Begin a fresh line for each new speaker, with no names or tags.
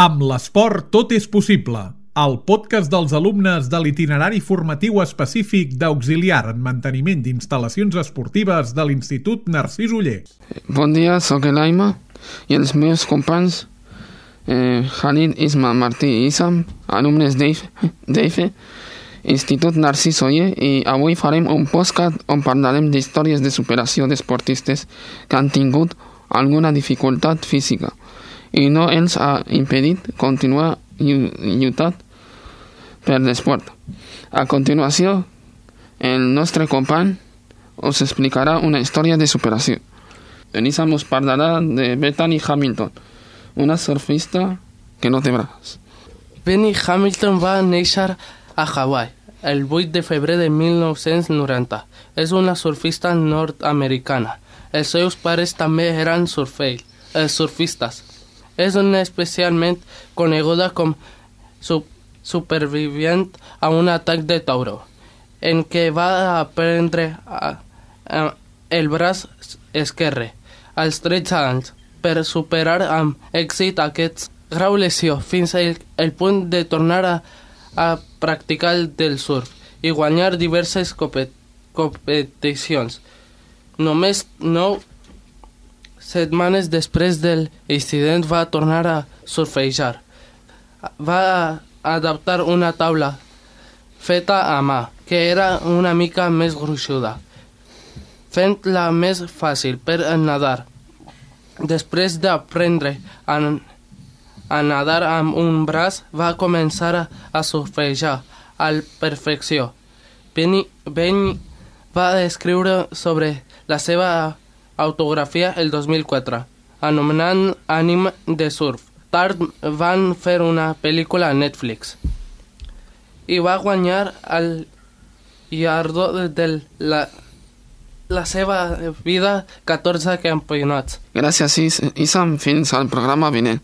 Amb l'esport tot és possible. El podcast dels alumnes de l'itinerari formatiu específic d'auxiliar en manteniment d'instal·lacions esportives de l'Institut Narcís Oller.
Bon dia, sóc l'Aima i els meus companys Khalid, Isma, Martí i Isam, alumnes d'EIFE, Institut Narcís Oller, i avui farem un podcast on parlarem d'històries de superació d'esportistes que han tingut alguna dificultat física i no els ha impedit continuar lluitant per l'esport. A continuació, el nostre company us explicarà una història de superació. Isam us parlarà de Bethany Hamilton, una surfista que no té braç.
Bethany Hamilton va néixer a Hawaii el 8 de febrer de 1990. És una surfista nord-americana. Els seus pares també eren surfistes. És una especialment coneguda com supervivent a un atac de tauró, en què va aprendre el braç esquerre als 13 anys per superar amb èxit aquest grau lesió fins al punt de tornar a practicar del surf i guanyar diverses competicions. Només 9 setmanes després del incident va tornar a surfejar. Va adaptar una taula feta a mà, que era una mica més gruixuda, fent-la més fàcil per nadar. Després d'aprendre a nadar amb un braç, va començar a surfejar a la perfecció. Bethany va escriure sobre la seva autografia el 2004, anomenant Ànima de surf. Tard van fer una pel·lícula a Netflix i va guanyar el guardó de la seva vida 14 campionats.
Gràcies, Isam. Fins al programa vinent.